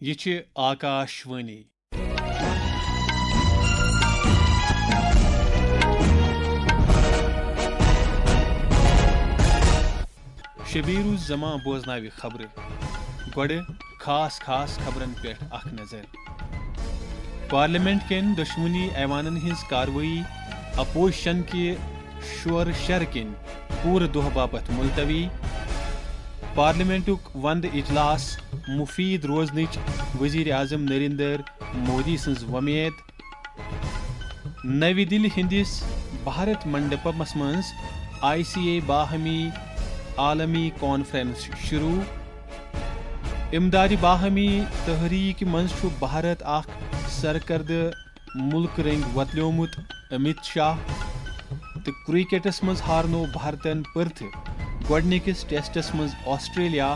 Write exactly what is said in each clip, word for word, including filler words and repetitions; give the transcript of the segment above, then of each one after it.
یہِ چھِ آکاش وانی۔ شبیر الزمان بوزناوِ خبرٕ۔ گۄڈٕ خاص خاص خبرن پٮ۪ٹھ اکھ نظر۔ پارلیمنٹ کٮ۪ن دۄشوٕنی ایوانن ہٕنٛز کاروٲیی اپوزیشن کہِ شور شر کِنۍ پوٗرٕ دۄہ باپتھ ملتوی۔ پارلیمنٹُک وندٕ اجلاس مفید روزنٕچ وزیر اعظم نریندر مودی سٕنٛز وۄمید۔ نَوِ دِلہِ ہٕنٛدِس بھارت منڈپمس منٛز آئی سی اے باہمی عالمی کانفرنس شروع۔ امدادِ باہمی تحریک منٛز چھُ بھارت اکھ سرکردٕ مُلکہٕ رٔنٛگۍ وۄتلیومُت امت شاہ۔ تہٕ کرکٹس منٛز ہارنوو بھارتن پٔرتھٕ گۄڈٕنِکِس ٹیسٹس منٛز آسٹریلیا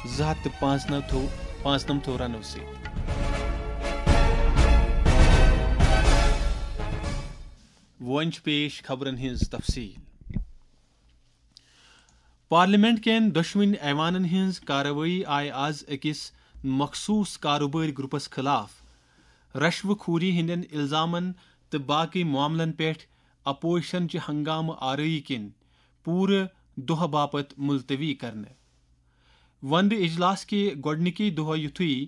زٕ ہتھ تہٕ پانٛژھ نمتھو، پانٛژھ نمتھو رنو سۭتۍ۔ وۄنۍ چھِ پیش خبرن ہٕنٛز تفصیل۔ پارلیمنٹ کٮ۪ن دۄشوٕنۍ ایوانن ہٕنٛز کاروٲیی آیہِ از أکِس مخصوٗص کاروبٲرۍ گروپس خلاف رشوٕ خوری ہٕنٛدٮ۪ن الزامن تہٕ باقٕے معاملن پٮ۪ٹھ اپوزیشن چہِ ہنگامہٕ آرٲیی کِنۍ پوٗرٕ دۄہ باپتھ ملتوی کرنہٕ۔ وندٕ اجلاس کہِ گۄڈٕنِکی دۄہ یُتھُے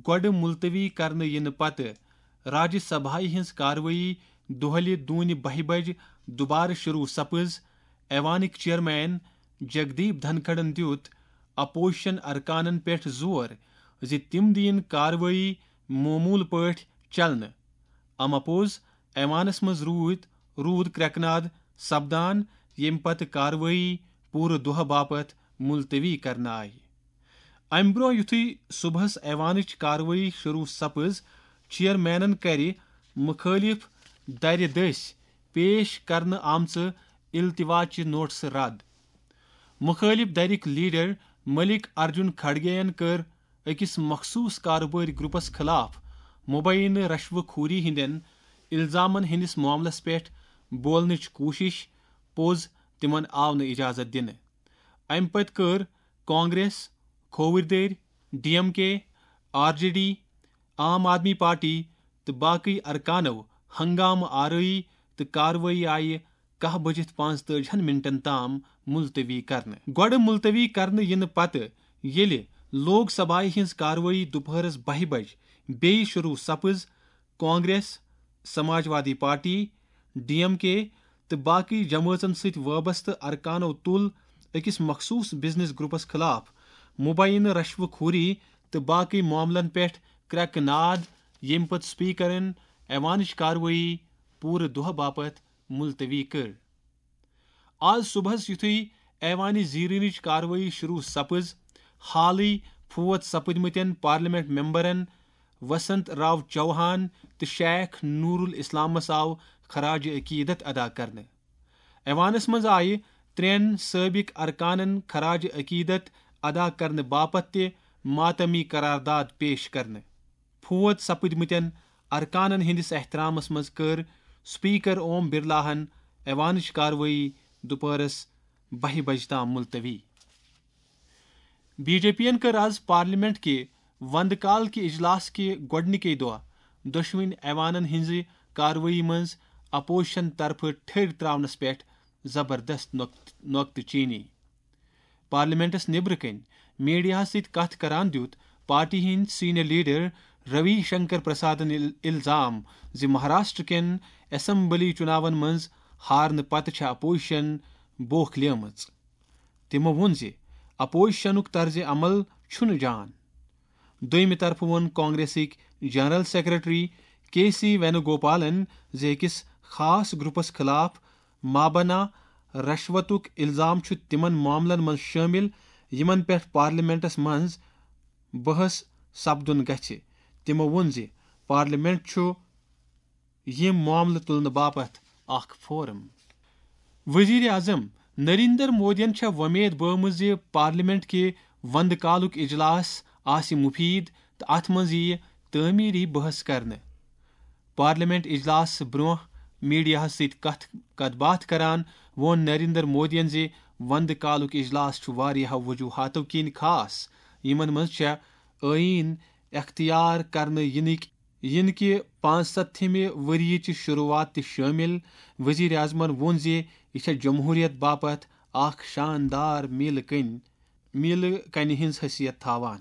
گۄڈٕ ملتوی کرنہٕ یِنہٕ پتہٕ راجیہ سبھایہِ ہٕنٛز کاروٲیی دۄہلہِ دوٗنہِ بَہہِ بجہِ دُبارٕ شروع سپٕز، ایوانٕکۍ چیئرمین جگدیپ دھنکھڑن دیُت اپوزیشن ارکانن پٮ۪ٹھ زور زِ تِم دِیِن کاروٲیی معموٗل پٲٹھۍ چلنہٕ۔ امہ پوٚز ایوانس منٛز روٗد، روٗد کرٛٮ۪کناد سپدان، ییٚمہِ پتہٕ کاروٲیی پوٗرٕ دۄہ باپتھ ملتوی کرنہٕ آیہِ۔ امہِ برٛونٛہہ یُتھُے صُبحس ایوانٕچ کاروٲیی شروع سپٕز، چیئرمینن کرِ مُخٲلِف دَرِ دٔسۍ پیش کرنہٕ آمژٕ التوا چہِ نوٹسہٕ رد۔ مُخٲلِف دَرِکۍ لیڈر ملک ارجن کھڑگے یَن کٔر أکِس مخصوٗص کاروبٲرۍ گروپس خلاف مبینہٕ رشوٕ خوری ہٕنٛدٮ۪ن الزامن ہٕنٛدِس معاملس پٮ۪ٹھ بولنٕچ کوٗشش، پوٚز تِمن آو نہٕ اجازت دِنہٕ۔ امہِ پتہٕ کٔر کانگریس، کھووٕرۍ دٔرۍ، ڈی ایم کے، آر جے ڈی، عام آدمی پارٹی تہٕ باقٕے ارکانو ہنگامہٕ آرٲیی تہٕ کاروٲیی آیہِ کاہ بٔجِتھ پانٛژتٲجِہن منٹن تام ملتوی کرنہٕ۔ گۄڈٕ ملتوی کرنہٕ یِنہٕ پتہٕ ییٚلہِ لوک سبھایہِ ہٕنٛز کاروٲیی دُپہرس بَہہِ بجہِ بیٚیہِ شروع سپٕز، Congress, Samajwadi party, D M K تہٕ باقٕے جمٲژن سۭتۍ وابستہٕ ارکانو تُل أکِس مخصوٗص بزنس گروپس خلاف مبینہٕ رشوٕ خوری تہٕ باقٕے معاملن پٮ۪ٹھ کرٛٮ۪کہٕ ناد، ییٚمہِ پتہٕ سپیکرن ایوانٕچ کاروٲیی پوٗرٕ دۄہ باپتھ ملتوی کٔر۔ آز صبحس یُتھُے ایوانِ زیرینٕچ کاروٲیی شروع سپٕز، حالٕے فوت سپٕدمٕتٮ۪ن پارلیمنٹ ممبرن وسنت راو چوہان تہٕ شیخ نور الاسلامس آو خراج عقیدت ادا کرنہٕ۔ ایوانس منٛز آیہِ ترٛٮ۪ن سٲبق ارکانن خراج عقیدت ادا کرنہٕ باپتھ تہِ ماتمی قرارداد پیش کرنہٕ۔ فوت سپٕدمٕتٮ۪ن ارکانن ہٕنٛدِس احترامس منٛز کٔر سپیکر اوم برلاہن ایوانٕچ کاروٲیی دُپہرس بَہہِ بجہِ تام ملتوی۔ بی جے پی ین کٔر آز پارلیمنٹ کہِ وندٕ کال کہِ اجلاس کہِ گۄڈٕنِکے دۄہ دۄشوٕنۍ ایوانن ہٕنٛزِ کاروٲیی منٛز اپوزیشن طرفہٕ ٹھٔرۍ تراونس پٮ۪ٹھ زبردست نۄقط-، نۄقطہٕ چینی۔ پارلیمنٹس نیبرٕ کنۍ میڈیاہس سۭتۍ کتھ کران دیُت پارٹی ہٕنٛدۍ سینئر لیڈر روی شنکر پرسادن ال-، الزام زِ مہاراشٹر کٮ۪ن اسمبلی چُناون منٛز ہارنہٕ پتہٕ چھےٚ اپوزیشن بوکھ لیمٕژ۔ تِمو ووٚن زِ اپوزیشنُک طرزِ عمل چھُنہٕ جان۔ دوٚیمہِ طرفہٕ ووٚن کانگریسٕکۍ جنرل سیکرٹری کے سی وینوگوپالن زِ أکِس خاص گروپس خلاف مابنا رشوتُک الزام چھُ تِمن معاملن منٛز شٲمِل، یِمن پٮ۪ٹھ پارلیمنٹس منٛز بحث سپدُن گژھِ۔ تِمو ووٚن زِ پارلیمنٹ چھُ یِم معاملہٕ تُلنہٕ باپتھ اکھ فورم۔ وزیر اعظم نریندر مودیَن چھےٚ وۄمید بٲومٕژ زِ پارلیمنٹ کہِ وندٕ کالُک اجلاس آسہِ مفید تہٕ اتھ منٛز یِیہِ تعمیری بحث کرنہٕ۔ پارلیمنٹ اجلاس برونٛہہ میڈیاہَس سۭتۍ کتھ، کتھ باتھ کران ووٚن نریندر مودیَن زِ وندٕ کالُک اجلاس چھُ واریاہو وجوہاتو کِنۍ خاص، یِمن منٛز چھےٚ ٲییٖن، اختیار کرنہٕ ینٕکۍ، ینہٕ کہِ پانٛژستھمہِ ؤریہِ چہِ شروعات تہِ شٲمِل۔ وزیر اعظمن ووٚن زِ یہِ چھےٚ جمہوریت باپتھ اکھ شاندار میلہٕ کنۍ، میلہٕ کنہِ ہٕنٛز حیثیت تھاوان۔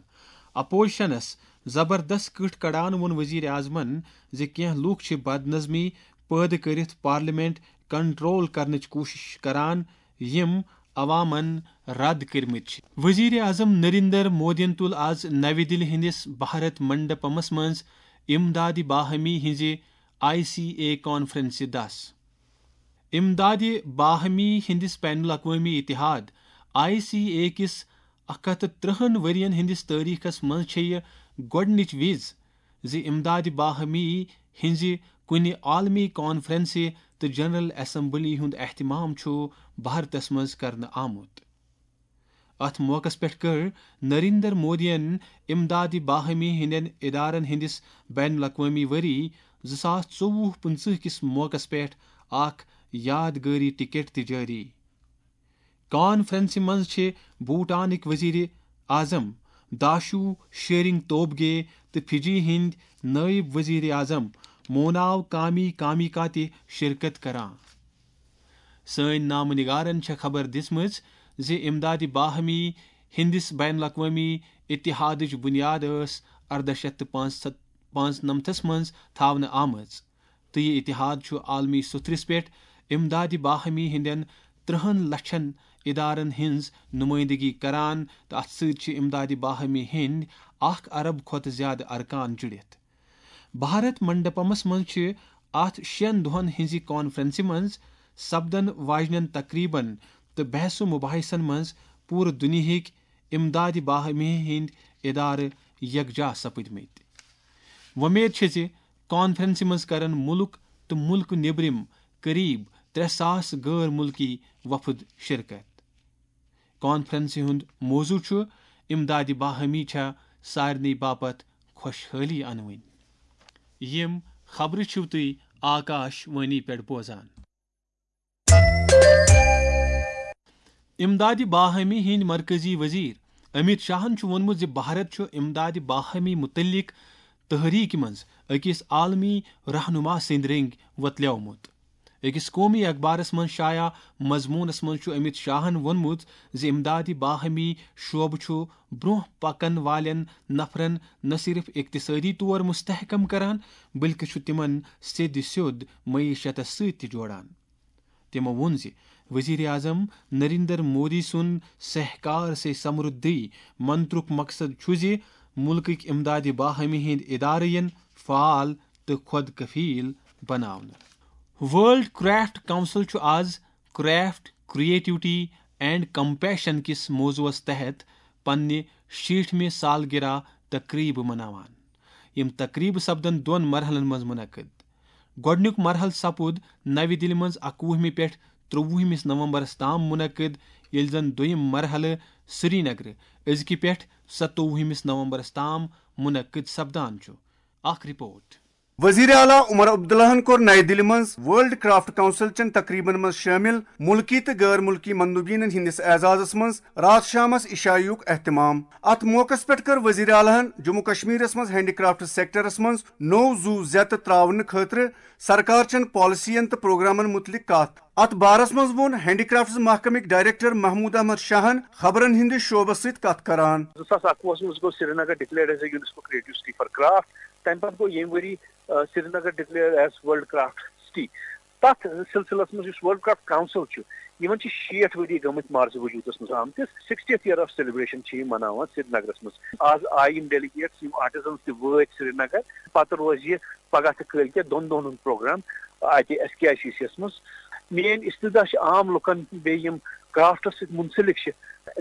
اپوزیشنس زبردست کٕٹھ کڑان ووٚن وزیر اعظمن زِ کینٛہہ لوٗکھ چھِ بدنظمی پٲدٕ کٔرِتھ پارلیمنٹ کنٹرول کرنٕچ کوٗشش کران، یِم عوامن رد کٔرمٕتۍ چھِ۔ وزیر اعظم نریندر مودیَن تُل آز نَوِ دِلہِ ہٕنٛدِس بھارت منڈپمس منٛز امدادِ باہمی ہٕنٛزِ آئی سی اے کانفرنسہِ دَس۔ امدادِ باہمی ہٕنٛدِس بین الاقوٲمی اتحاد، آئی سی اے کِس اکھ ہتھ تہٕ ترٛہن ؤرین ہٕنٛدِس تٲریخس منٛز چھےٚ یہِ گۄڈٕنِچ وِز زِ امدادِ باہمی ہٕنٛزِ کُنہِ عالمی کانفرنسہِ تہٕ جنرل اسمبلی ہُنٛد اہتمام چھُ بھارتس منٛز کرنہٕ آمُت۔ اتھ موقعس پٮ۪ٹھ کٔر نریندر مودیَن امدادِ باہمی ہٕنٛدٮ۪ن ادارن ہٕنٛدِس بین الاقوٲمی ؤری زٕ ساس ژوٚوُہ پٕنٛژٕہ کِس موقعس پٮ۪ٹھ اکھ یادگٲری ٹکٹ تہِ جٲری۔ کانفرنسہِ منٛز چھِ بھوٹانٕکۍ وزیر اعظم داشو شیرنگ توبگے تہٕ فجی ہٕنٛدۍ نٲیِب وزیر اعظم موناو کامی کامیکا تہِ شرکت کران۔ سٲنۍ نامہٕ نگارن چھےٚ خبر دِژمٕژ زِ امدادِ باہمی ہٕنٛدِس بین الاقوٲمی اتحادٕچ بُنیاد ٲس ارداہ شیٚتھ تہٕ پانٛژھ نَمتھس منٛز تھاونہٕ آمٕژ، تہٕ یہِ اتحاد چھُ عالمی سطحس پٮ۪ٹھ امدادِ باہمی ہٕنٛدٮ۪ن ترٛہن لچھن ادارن ہٕنٛز نمٲیندگی کران، تہٕ اتھ سۭتۍ چھِ امدادِ باہمی ہٕنٛدۍ اکھ ارب کھۄتہٕ زیادٕ ارکان جُڑِتھ۔ بھارت منڈپمس منٛز چھِ اتھ شٮ۪ن دۄہن ہٕنٛزِ کانفرنسہِ منٛز سپدن واجنٮ۪ن تقریبن تہٕ بحث و مباحثن منٛز پوٗرٕ دُنیاہٕکۍ امدادِ باہمی ہٕنٛدۍ ادارٕ یکجاہ سپٕدمٕتۍ۔ وۄمید چھِ زِ کانفرنسہِ منٛز کرن مُلک تہٕ مُلکہٕ نیبرِم قریب ترٛےٚ ساس غٲر مُلکی وفد شرکت۔ کانفرنسہِ ہُنٛد موضوع چھُ امدادِ باہمی چھا سارنٕے باپتھ خۄشحٲلی انوٕنۍ۔ یِم خبرٕ چھِو تُہۍ آکاش وانی پٮ۪ٹھ بوزان۔ امدادِ باہمی ہٕنٛدۍ مرکزی وزیر امیت شاہن چھُ ووٚنمُت زِ بھارت چھُ امدادِ باہمی متعلق تحریک منٛز أکِس عالمی رہنما سٕنٛدۍ رٔنگۍ وۄتلیومُت۔ أکِس قومی اخبارس منٛز شایع مضموٗنس منٛز چھُ امیت شاہن ووٚنمُت زِ امدادِ باہمی شعبہٕ چھُ برٛونٛہہ پکن والٮ۪ن نفرن نہ صرف اقتصٲدی طور مستحکم کران، بلکہِ چھُ تِمن سیٚدِ سیوٚد معیشتس سۭتۍ تہِ جوڑان۔ تِمو ووٚن زِ وزیر اعظم نریندر مودی سُنٛد سہکار سے سمردھی منترُک مقصد چھُ زِ مُلکٕکۍ امدادِ باہمی ہٕنٛدۍ ادارٕ یِن فعال تہٕ خۄد کفیل بناونہٕ۔ ورلڈ کرافٹ کونسل چھُ آز کرافٹ، کریٹیوٹی اینڈ کمپیشن کِس موضوعس تحت پننہِ شیٹھمہِ سالگرہ تقریبہٕ مناوان۔ یِم تقریبہٕ سپدن دۄن مرحلن منٛز منعقد۔ گۄڈٕنیُک مرحلہٕ سپُد نَوِ دِلہِ منٛز اَکوُہمہِ پٮ۪ٹھ ترٛۆوُہمِس نومبرس تام منعقد، ییٚلہِ زن دوٚیِم مرحلہٕ سرینگرٕ أزکہِ پٮ۪ٹھ ستووُہمِس نومبرس تام منعقد سپدان چھُ۔ اکھ رپورٹ۔ وزیر اعلیٰ عمر عبداللہن کوٚر نَیہِ دِلہِ منٛز ورلڈ کرافٹ کونسل چٮ۪ن تقریبن منٛز شٲمِل مُلکی تہٕ غٲر مُلکی مندوبینن ہٕنٛدِس اعزازس منٛز راتھ شامس عشایُک اہتمام۔ اتھ موقعس پٮ۪ٹھ کٔر وزیر اعلیٰ ہن جموں کشمیرس منٛز ہینڈی کرافٹ سیکٹرس منٛز نوٚو زُو زیتہٕ تراونہٕ خٲطرٕ سرکار چٮ۪ن پالیسین تہٕ پروگرامن مُتعلق کتھ۔ اتھ بارس منٛز ووٚن ہینڈی کرافٹس محکمٕکۍ ڈائریکٹر محمود احمد شاہن خبرن ہٕنٛدِس شعبس سۭتۍ کتھ کران۔ زٕ ساس اَکوُہس منٛز گوٚو Srinagar declared as a UNESCO creative city for craft۔ تَمہِ پتہٕ گوٚو ییٚمہِ ؤری، آ، Srinagar declared as world craft city۔ تَتھ سلسلس منٛز یُس ورلڈ کرافٹ کونسل چھُ، یِمن چھِ شیٹھ ؤری گٔمٕتۍ مارزِ وجوٗدس منٛز آمتِس۔ Sixtieth year of celebration چھِ یِم مناوان سرینگرس منٛز۔ آز آیہِ یِم delegates، یِم artisans تہِ وٲتۍ سرینگر۔ پتہٕ روزِ یہِ پگاہ تہٕ کٲلۍ کٮ۪تھ دۄن دۄہن ہُنٛد پروگرام اتہِ S K I C C یس منٛز۔ میٲنۍ استدعا چھِ عام لُکن، بیٚیہِ یِم کرافٹس سۭتۍ منسلک چھِ،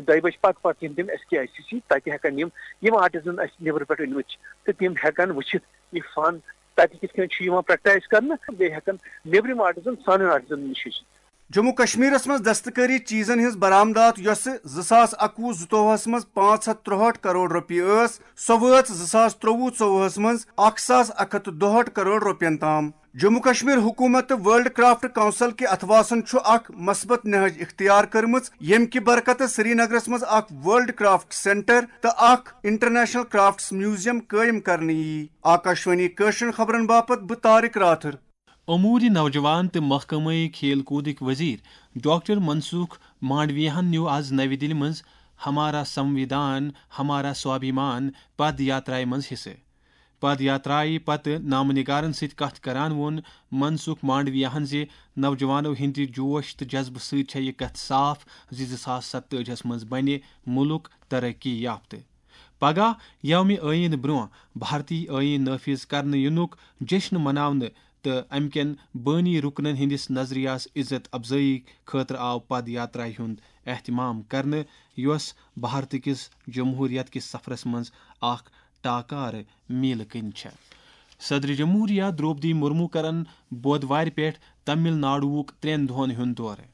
دۄیہِ بجہِ پتہٕ پتہٕ یِن تِم S K I C C, تتہِ ہٮ۪کن یِم، یِم artisan اسہِ نیبرٕ پٮ۪ٹھ أنمٕتۍ چھِ، تہٕ تِم ہٮ۪کن وٕچھِتھ یہِ فن تتہِ کِتھ کٔنۍ چھُ یِوان practice کرنہٕ، بیٚیہِ ہٮ۪کن نیبرِم artisan سانٮ۪ن artisanن نِش ہیٚچھِتھ۔ جموں کشمیرس منٛز دستکٲری چیزن ہٕنٛز برآمدات، یۄسہٕ زٕ ساس اَکوُہ زٕتووُہس منٛز پانٛژھ ہتھ ترٛوہٲٹھ کرور رۄپیہِ ٲس، سۄ وٲژ زٕ ساس ترٛوٚوُہ ژوٚوُہس منٛز اکھ ساس اکھ ہتھ تہٕ دُہٲٹھ کرور رۄپین تام۔ جموں کشمیر حکومت تہٕ ورلڈ کرافٹ کونسل کہِ اتھواسن چھُ اکھ مثبت نہج اختیار کٔرمٕژ، ییٚمہِ کہِ برکتہٕ سرینگرس منٛز اکھ ورلڈ کرافٹ سینٹر تہٕ اکھ انٹرنیشنل کرافٹس میوزیم قٲیِم کرنہٕ یِیہِ۔ آکاشوانی کٲشرٮ۪ن خبرن باپتھ بہٕ طارق راتھر۔ امور نوجوان تہٕ محکمہ کھیل کودٕکۍ وزیر ڈاکٹر منسوخ مانڈویاہن نیوٗ از نوِ دِلہِ منٛز ہمارا سموِدھان، ہمارا سوابھیمان پد یاترایہِ منٛز حصہٕ۔ پد یاترایہِ پتہٕ نامہ نگارن سۭتۍ کتھ کران ووٚن منسوخ مانڈویاہن زِ نوجوانو ہٕنٛدِ جوش تہٕ جذبہٕ سۭتۍ چھےٚ یہِ کتھ صاف زِ زٕ ساس ستٲجی ہس منٛز بنہِ مُلک ترقی یافتہٕ۔ پگاہ یومہِ ٲییٖن برٛونٛہہ بھارتی ٲییٖن نٲفِذ کرنہٕ یِنُک جشن مناونہٕ تہٕ امہِ کٮ۪ن بٲنی رُکنن ہٕنٛدِس نظریہس عزت افزٲیی خٲطرٕ آو پد یاترایہِ ہُنٛد اہتمام کرنہٕ، یۄس بھارتہٕ کِس جمہوریت کِس سفرس منٛز اکھ ٹاکارٕ میلہٕ کٕنۍ چھےٚ۔ صدر جمہوریہ درٛوپدی مرمو کرن بودوارِ پٮ۪ٹھ تمل ناڈوُک ترٛٮ۪ن دۄہن ہُنٛد دورٕ۔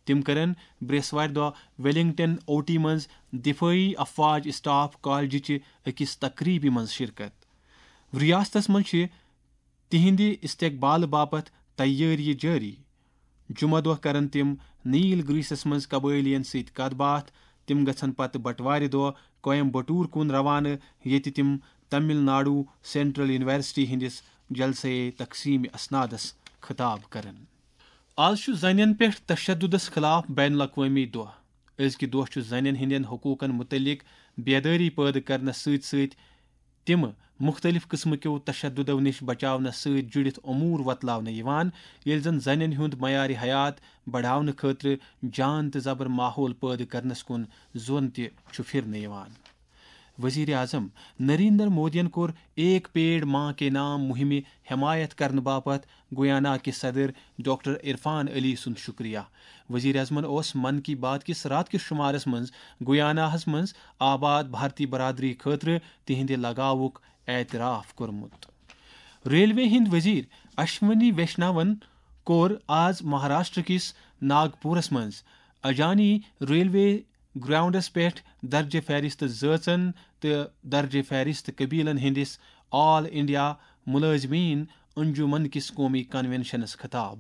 تِم کرن برٛیسوارِ دۄہ ویلنگٹن اوٹی منٛز دفٲعی افواج اسٹاف کالجہِ چہِ أکِس تقریبہِ منٛز شرکت۔ ریاستس منٛز چھِ تِہنٛدِ استقبال باپتھ تیٲری جٲری۔ جمعہ دۄہ کرن تِم نیل گریسس منٛز قبٲئلیَن سۭتۍ کتھ باتھ۔ تِم گژھن پتہٕ بٹوارِ دۄہ کویمبٹور کُن روانہٕ، ییٚتہِ تِم تمل ناڈو سینٹرل یونیورسٹی ہٕنٛدِس جلسے تقسیم اسنادس خطاب کرن۔ آز چھُ زنٮ۪ن پٮ۪ٹھ تشددس خلاف بین الاقوٲمی دۄہ۔ أزکہِ دۄہ چھُ زنٮ۪ن ہٕنٛدٮ۪ن حقوقن متعلق بیدٲری پٲدٕ کرنس سۭتۍ سۭتۍ تِم مُختٔلِف قٕسمہٕ کیو تشددو نِش بچاونس سۭتۍ جُڑِتھ امور وۄتلاونہٕ یِوان، ییٚلہِ زن زنٮ۪ن ہُنٛد معیار حیات بڑاونہٕ خٲطرٕ جان تہٕ زبر ماحول پٲدٕ کرنس کُن زون تہِ چھُ پھِرنہٕ یِوان۔ وزیر اعظم نریندر مودیَن کوٚر ایک پیڑ ماں کے نام مُہِمہِ حمایت کرنہٕ باپتھ گویانا کہِ صدر ڈاکٹر عرفان علی سُنٛد شُکریہ۔ وزیر اعظمَن اوس من کی بات کِس راتہٕ کِس شُمارس منٛز گویاناہَس منٛز آباد بھارتی برادری خٲطرٕ تِہنٛدِ لگاوُک اعتراف کوٚرمُت۔ ریلوے ہٕنٛدۍ وزیر اشونی ویشناون کوٚر آز مہاراشٹر کِس ناگپورس منٛز اجانی ریلوے گراؤنڈس پٮ۪ٹھ درجہ فہرست زٲژن تہٕ درجہ فہرست قبیلن ہٕنٛدِس آل انڈیا ملازمین انجمن کِس قومی کنونشنس خطاب۔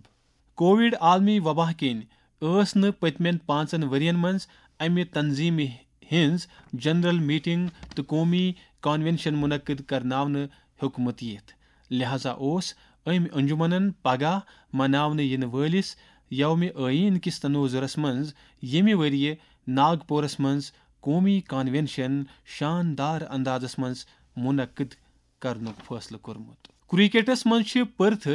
کووڈ عالمی وبا کِنۍ ٲس نہٕ پٔتمٮ۪ن پانٛژن ؤرین منٛز امہِ تنظیمہِ ہٕنٛز جنرل میٹنگ تہٕ قومی کنونشن منعقد کرناونہٕ ہیوٚکمُت یِتھ، لہذا اوس أمۍ انجمنن پگاہ مناونہٕ یِنہٕ وٲلِس یومِ آئین کِس تنوظرس منٛز ییٚمہِ ؤرۍ یہِ ناگپورس منٛز قومی کنونشن شاندار اندازس منٛز منعقد کرنُک فٲصلہٕ کوٚرمُت۔ کرکٹس منٛز چھِ پرتھ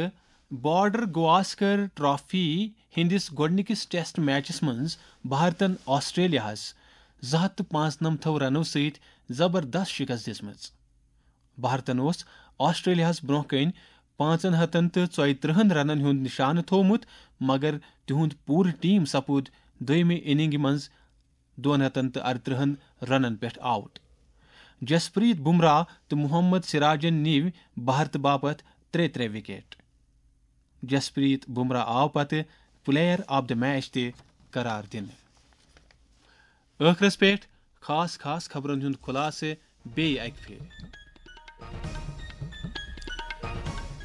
بارڈر گواسکر ٹرافی ہٕنٛدِس گۄڈٕنِکِس ٹیسٹ میچس منٛز بھارتن آسٹریلیاہس زٕ ہتھ تہٕ پانٛژنمتھو رنو سۭتۍ زبردست شکست دِژمٕژ۔ بھارتن اوس آسٹریلیاہس برونٛہہ کنہِ پانٛژن ہتن تہٕ ژۄیہِ ترٕہن رنن ہُنٛد نشانہٕ تھوومُت، مگر تِہُنٛد پوٗرٕ ٹیم سپُد دوٚیمہِ اننگہِ منٛز دۄن ہتن تہٕ ارترٕہن رنن پٮ۪ٹھ آوٹ۔ جسپریت بمراہ تہٕ محمد سراجن نِوۍ بھارتہٕ باپتھ ترٛےٚ ترٛےٚ وکٹ۔ جسپریت بمراہ آو پتہٕ پلیئر آف دی میچ تہِ قرار دِنہٕ۔ ٲخرس پٮ۪ٹھ خاص خاص خبرن ہُنٛد خلاصہٕ بیٚیہِ اکہِ پھِرِ۔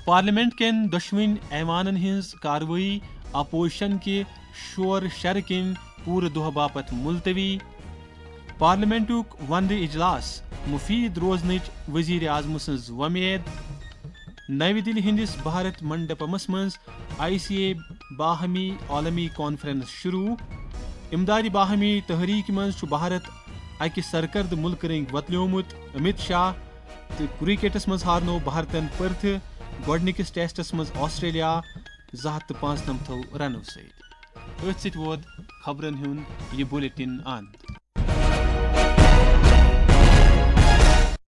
پارلیمنٹ کٮ۪ن دۄشوٕنۍ ایوانن ہٕنٛز کاروٲیی اپوزیشن کہِ شور شرٕ کِنۍ پوٗرٕ دۄہ باپتھ ملتوی۔ پارلیمنٹُک وندٕ اجلاس مفید روزنٕچ وزیر اعظم سٕنٛز وۄمید۔ نَوِ دِلہِ ہٕنٛدِس بھارت منڈپمس منٛز آئی سی اے باہمی عالمی کانفرنس شروع۔ امدادِ باہمی تحریک منٛز چھُ بھارت اکہِ سرکردٕ مُلکہٕ رٔنگۍ وۄتلیومُت۔ امت شاہ تہٕ کرکٹس منٛز ہارنوو بھارتن پرتھٕ گۄڈٕنِکِس ٹیسٹس منٛز آسٹریلیا زٕ ہتھ تہٕ پانٛژنمتھو رنو سۭتۍ۔ أتھۍ سۭتۍ ووت خبرن ہُنٛد یہِ بلیٹن اند۔